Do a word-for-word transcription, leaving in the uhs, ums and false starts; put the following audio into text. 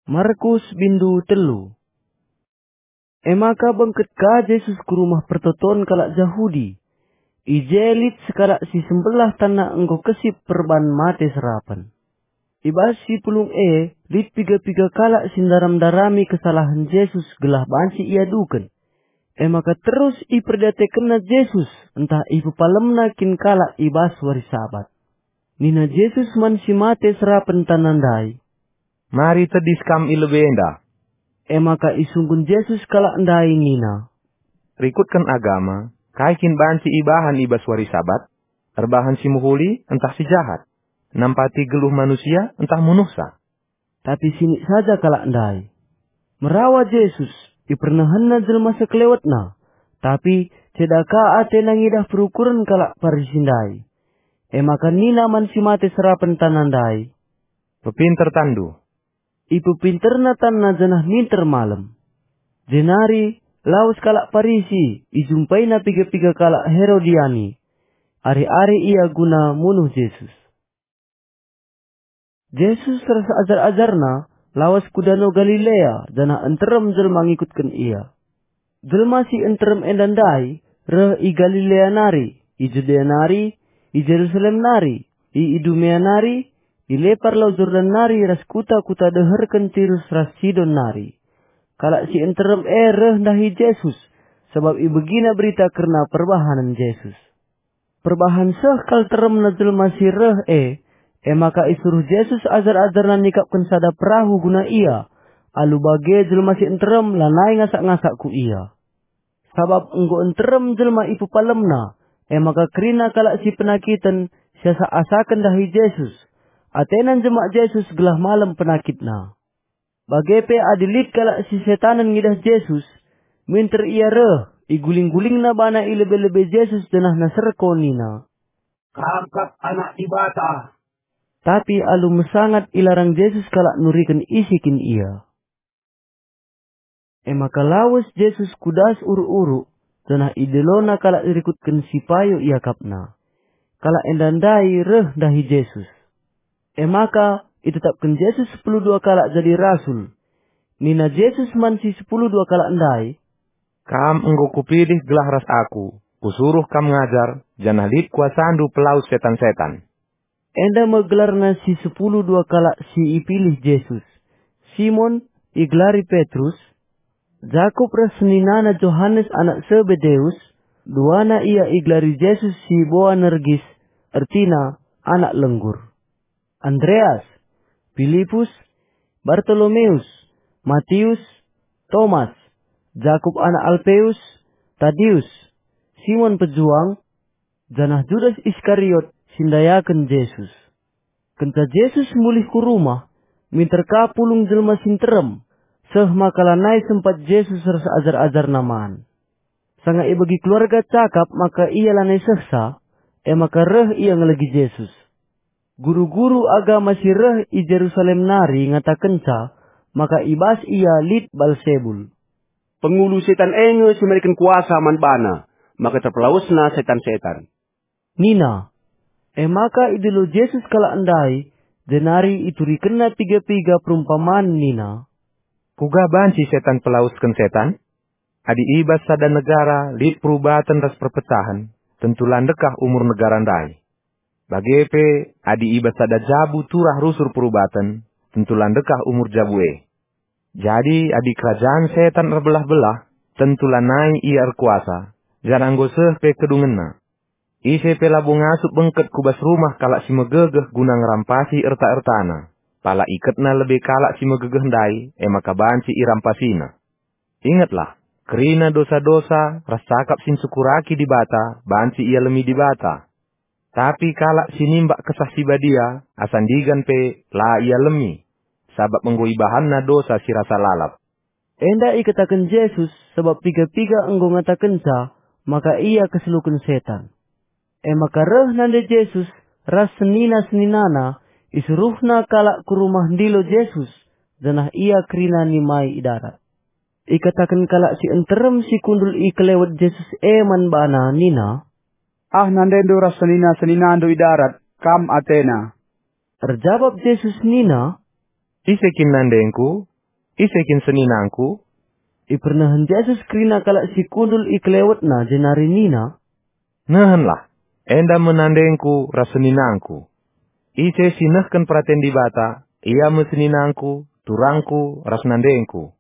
Markus bindu telu. E maka bengket ka Jesus ku rumah pertoton kalak Jahudi. I je lit sekalak si sembelah tanna enggo kesip perban mate serapen. I bas si pulung e lit piga-piga kalak si ndaram-ndarami kesalahen Jesus gelah banci iaduken. E maka terus iperdiatekenna Jesus ntah ipepalemna kin kalak i bas wari Sabat. Nina Jesus man si mate serapen tanna ndai, "Mari tedis kam i lebe enda." E maka isungkun Jesus kalak ndai nina, "Rikutken agama, kai kin banci ibahan i bas wari Sabat? Erbahan si mehuli ntah si jahat? Nampati geluh manusia ntah munuhsa?" Tapi sinik saja kalak ndai. Merawa Jesus, ipernehenna jelma sekelewetna, tapi ceda ka atena ngidah perukuren kalak Parisi ndai. E maka nina man si mate serapen tanna ndai, "Pepinter tanndu." Ipepinterna tanna janah minter malem. Jenari lawes kalak Parisi, ijumpaina piga-piga kalak Herodiani. Ari-ari ia guna munuh Jesus. Jesus ras ajar-ajarna lawes ku Dano Galilea, janah nterem jelma ngikutken ia. Jelma si nterem enda ndai reh i Galilea nari, i Judea nari, i Jerusalem nari, i Idumea nari, i lepar Lau Jordan nari ras kuta-kuta deherken Tirus ras Sidon nari. Kalak si nterem e reh ndahi Jesus, sabap ibegina berita kerna perbahanen Jesus. Perbahan seh kal teremna jelma si reh e, e maka isuruh Jesus ajar-ajarna nikapken sada perahu guna ia. Alu bage jelma si nterem lanai ngasak-ngasak ku ia. Sabap enggo nterem jelma ipepalemna, e maka kerina kalak si penakiten siasak-asaken ndahi Jesus. Atena njemak Jesus gelah malem penakitna. Bage pe adi lit kalak si setanen ngidah Jesus, minter ia reh, iguling-gulingna bana i lebe-lebe Jesus janah naserko nina, "Kam kap Anak Dibata." Tapi alu mesangat ilarang Jesus kalak nuriken isi kin ia. E maka lawes Jesus ku das uruk-uruk, janah idelona kalak rikutken si payo iakapna. Kalak enda ndai reh ndahi Jesus. E maka itetapken Jesus sepuluh dua kalak jadi rasul. Nina Jesus man si sepuluh dua kalak ndai, "Kam enggo Kupilih gelah ras Aku, Kusuruh kam ngajar, janah lit kuasaNdu pelawes setan-setan." Enda me gelarna si sepuluh dua kalak si ipilih Jesus: Simon, igelari Petrus, Jakup ras seninana Johanes anak Sebedeus, duana ia igelari Jesus si Boanergis, ertina anak lenggur. Andreas, Pilipus, Bartolomeus, Matius, Tomas, Jakup anak Alpeus, Tadius, Simon Pejuang, janah Judas Iskariot si ndayaken Jesus. Kenca Jesus mulih ku rumah, minter ka pulung jelma si nterem, seh maka lanai sempat Jesus ras ajar-ajarNa man. Sanga ibegi keluarga cakap maka ia lanai sehsa, e maka reh ia ngelegi Jesus. Guru-guru agama si reh i Jerusalem nari ngatakenca maka i bas ia lit Balsebul. "Pengulu setan e nge si mereken kuasa man bana, maka terpelawesna setan-setan," nina. E maka idilo Jesus kalak ndai, jenari iturikenna piga-piga perumpaman nina, "Kuga banci setan pelawesken setan? Adi i bas sada negara lit perubaten ras perpecahen, tentu la ndekah umur negara ndai. Bage pe, adi i bas sada jabu turah rusur perubaten, tentu la ndekah umur jabu e. Jadi, adi kerajaan setan erbelah-belah, tentu lanai ia erkuasa, janah enggo seh pe kedungenna. Ise pe labo ngasup bengket ku bas rumah kalak si megegeh guna ngerampasi erta-ertana, pala iketna lebe kalak si megegeh ndai, e maka banci irampasina. Ingetlah, kerina dosa-dosa ras cakap si ncukuraki Dibata banci ialemi Dibata. Tapi kalak si nimbak Kesah Si Badia asa ndigan pe la ialemi, sabap enggo ibahanna dosa si rasa lalap." Enda ikataken Jesus sabap piga-piga enggo ngatakenca maka ia keseluken setan. E maka reh nande Jesus ras senina-seninana, isuruhna kalak ku rumah ndilo Jesus, janah ia kerina nimai i darat. Ikataken kalak si nterem si kundul i kelewet Jesus e man bana nina, "Ah nandendu ras senina-seninandu i darat, kam atena." Erjabap Jesus nina, "Ise kin nandengKu? "Ise kin seninangku?" Ipernehen Jesus kerina kalak si kundul i kelewetNa jenari nina, "Nehenlah, enda me nandengKu ras seninangKu. Ise si nehken peraten Dibata, ia me seninangKu, turangKu, ras nandengKu.